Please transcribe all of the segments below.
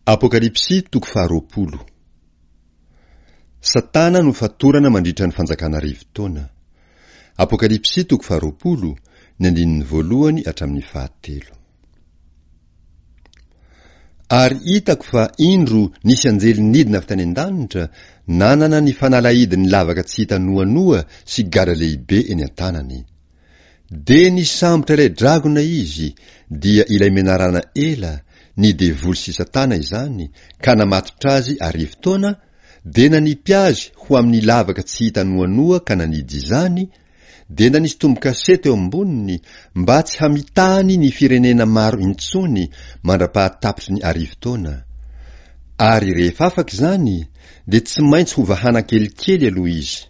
Apokalypsy toko faharoapolo. Satana no fatorana mandritra ny fanjakana arivotaona. Apokalypsy toko faharoapolo, ny andininy voalohany hatramin'ny fahatelo. Ary hitako fa indro nisy anjely nidina avy tany an-danitra, nanana ny fanalahidin'ny lavaka tsy hita noanoa sy gadra lehibe eny an-tanany. Dia nisambotra ilay dragona izy, dia ilay menarana ela, ny devoly sy Satana izany, ka namatotra azy arivotaona, dia nanipy azy ho amin'ny lavaka tsy hita noanoa ka nanidy izany, dia nanisy tombo-kase teo amboniny, mba tsy hamitahany ny firenena maro intsony mandra-pahatapitry ny arivotaona. Ary rehefa afaka izany, dia tsy maintsy hovahana kelikely aloha izy.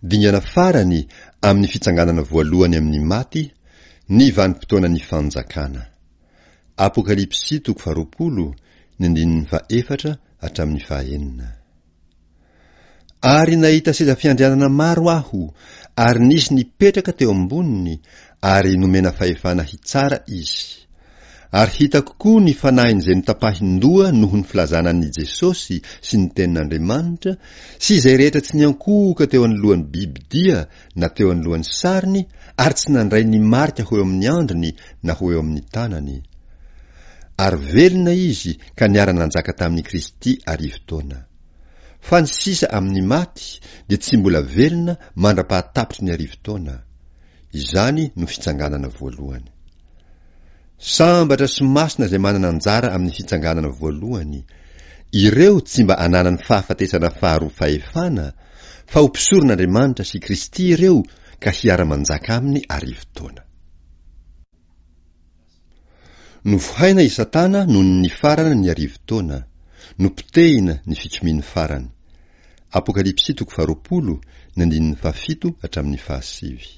Dingana farany amin'ny fitsanganana voalohany amin'ny maty ny vanim-potoanan'ny Fanjakana. Apokalypsy toko faharoapolo, ny andininy fahefatra hatramin'ny fahenina. Ary nahita seza fiandrianana maro aho, ary nisy nipetraka teo amboniny, ary nomena fahefana hitsara izy. Ary hitako koa ny fanahin'izay notapahin-doha noho ny filazana an'i Jesosy sy ny Tenin'Andriamanitra, sy izay rehetra tsy niankohoka teo anoloan'ny bibi-dia na teo anoloan'ny sariny ary tsy nandray ny marika ho eo amin'ny andriny na ho eo amin'ny tanany. Ary velona izy ka niara-nanjaka tamin'i Kristy arivotaona. Fa ny sisa amin'ny maty dia tsy mbola velona mandra-pahatapitry ny arivotaona. Izany no fitsanganana voalohany. Sambatra sy masina izay manana anjara amin'ny fitsanganana voalohany, ireo tsy mba ananany fahafatesana faharoa fahefana, fa ho mpisoron'Andriamanitra sy Kristy ireo ka hiara-manjaka aminy arivotaona. Novohaina i Satana nony nifarana ny arivotaona, nopotehina ny fikomiany farany. Apokalypsy toko faharoapolo, ny andininy fahafito hatramin'ny fahasivy.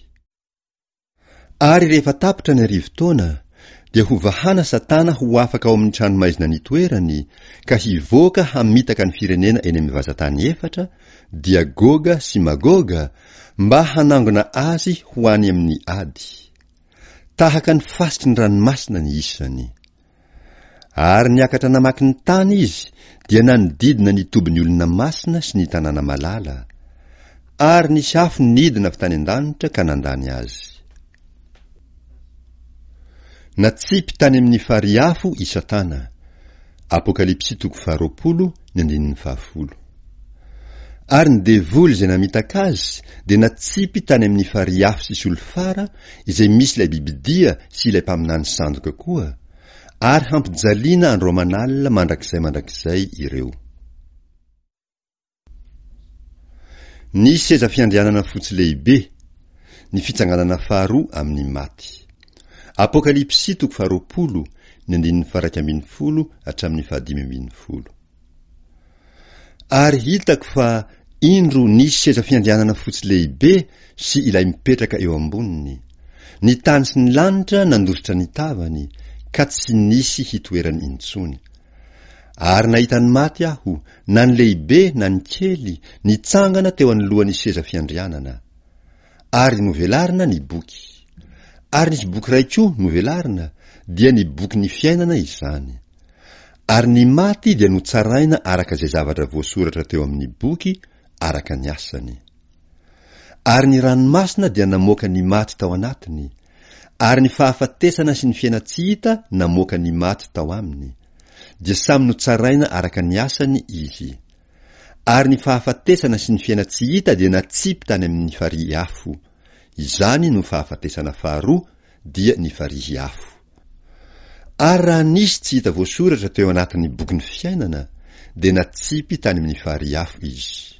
Ary rehefa tapitra ny arivotaona, dia hovahana Satana ho afaka ao amin'ny tranomaizina nitoerany, ka hivoaka hamitaka ny firenena eny amin'ny vazantany efatra, dia Goga sy Magoga, mba hanangona azy ho any amin'ny ady. Tahaka ny fasiky ny ranomasina ny isany. Ary niakatra namaky ny tany izy, dia nanodidina ny tobin'ny olona masina sy ny tanàna malala. Ary nisy afo nidina avy tany an-danitra ka nandany azy. Natsipy tany amin'ny farihy afo i Satana. Apokalypsy toko faharoapolo, ny andininy fahafolo. Ary ny devoly izay namitaka azy dia natsipy tany amin'ny farihy afo sy solifara izay misy ilay bibidia sy ilay mpaminany sandoka koa, ary hampijaliana andro aman'alina mandrakizay mandrakizay ireo. Ny seza fiandrianana fotsy lehibe, ny fitsanganana faharoa amin'ny maty. Apokalypsy toko faharoapolo, ny andininy faha-iraika ambinifolo hatramin'ny fahadimy ambinifolo. Ary hitako fa indro nisy seza fiandrianana fotsy lehibe sy ilay mipetraka eo amboniny. Ny tany sy ny lanitra nandositra ny tavany, ka tsy nisy hitoerany intsony. Ary nahita ny maty aho, na ny lehibe na ny kely, nitsangana teo anoloan'ny seza fiandrianana. Ary novelarina ny boky. Ary nisy boky iray koa novelarina, dia ny bokin'ny fiainana izany. Ary ny maty dia notsaraina araka izay zavatra voasoratra teo amin'ny boky, araka ny asany. Ary ny ranomasina dia namoaka ny maty tao anatiny, ary ny fahafatesana sy ny fiainan-tsy hita namoaka ny maty tao aminy, dia samy notsaraina araka ny asany izy. Ary ny fahafatesana sy ny fiainan-tsy hita dia natsipy tany amin'ny farihy afo. Izany no fahafatesana faharoa, dia ny farihy afo. Ary raha nisy tsy hita voasoratra teo anatin'ny bokin'ny fiainana, dia natsipy tany amin'ny farihy afo izy.